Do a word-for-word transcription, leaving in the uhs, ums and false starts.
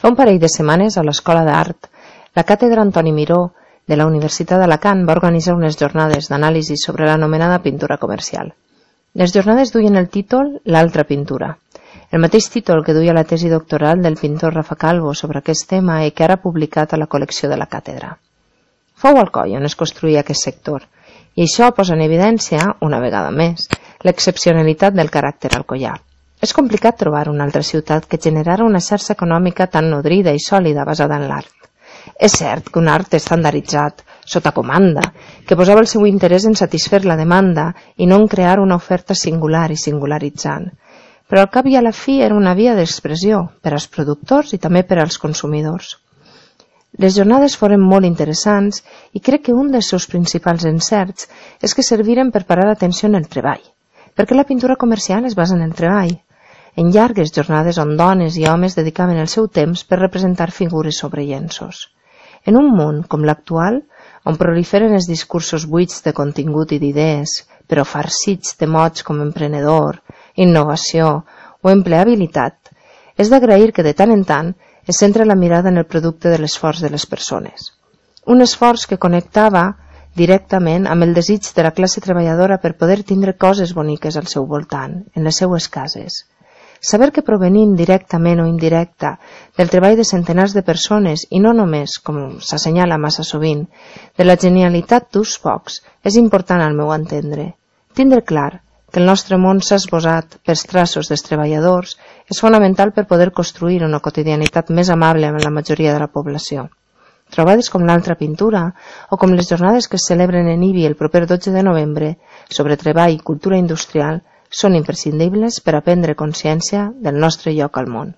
Fa un parell de setmanes, a l'Escola d'Art, la càtedra Antoni Miró de la Universitat d'Alacant va organitzar unes jornades d'anàlisi sobre l'anomenada pintura comercial. Les jornades duien el títol L'altra pintura, el mateix títol que duia la tesi doctoral del pintor Rafa Calvo sobre aquest tema i que ara ha publicat a la col·lecció de la càtedra. Fou Alcoi on es construïa aquest sector, i això posa en evidència, una vegada més, l'excepcionalitat del caràcter alcoià. És complicat trobar una altra ciutat que generara una xarxa econòmica tan nodrida i sòlida basada en l'art. És cert que un art estandarditzat, sota comanda, que posava el seu interès en satisfer la demanda i no en crear una oferta singular i singularitzant. Però al cap i a la fi era una via d'expressió per als productors i també per als consumidors. Les jornades foren molt interessants i crec que un dels seus principals encerts és que serviren per parar l'atenció en el treball, perquè la pintura comercial es basa en el treball, en llargues jornades on dones i homes dedicaven el seu temps per representar figures sobre llenços. En un món com l'actual, on proliferen els discursos buits de contingut i d'idees, però farcits de mots com emprenedor, innovació o empleabilitat, és d'agrair que de tant en tant es centra la mirada en el producte de l'esforç de les persones. Un esforç que connectava directament amb el desig de la classe treballadora per poder tindre coses boniques al seu voltant, en les seues cases. Saber que provenim directament o indirecta del treball de centenars de persones i no només, com s'assenyala massa sovint, de la genialitat d'uns pocs, és important al meu entendre. Tindre clar que el nostre món s'ha esbosat pels traços dels treballadors és fonamental per poder construir una quotidianitat més amable amb la majoria de la població. Trobades com l'altra pintura o com les jornades que es celebren en Ibi el proper dotze de novembre sobre treball i cultura industrial són imprescindibles per a prendre consciència del nostre lloc al món.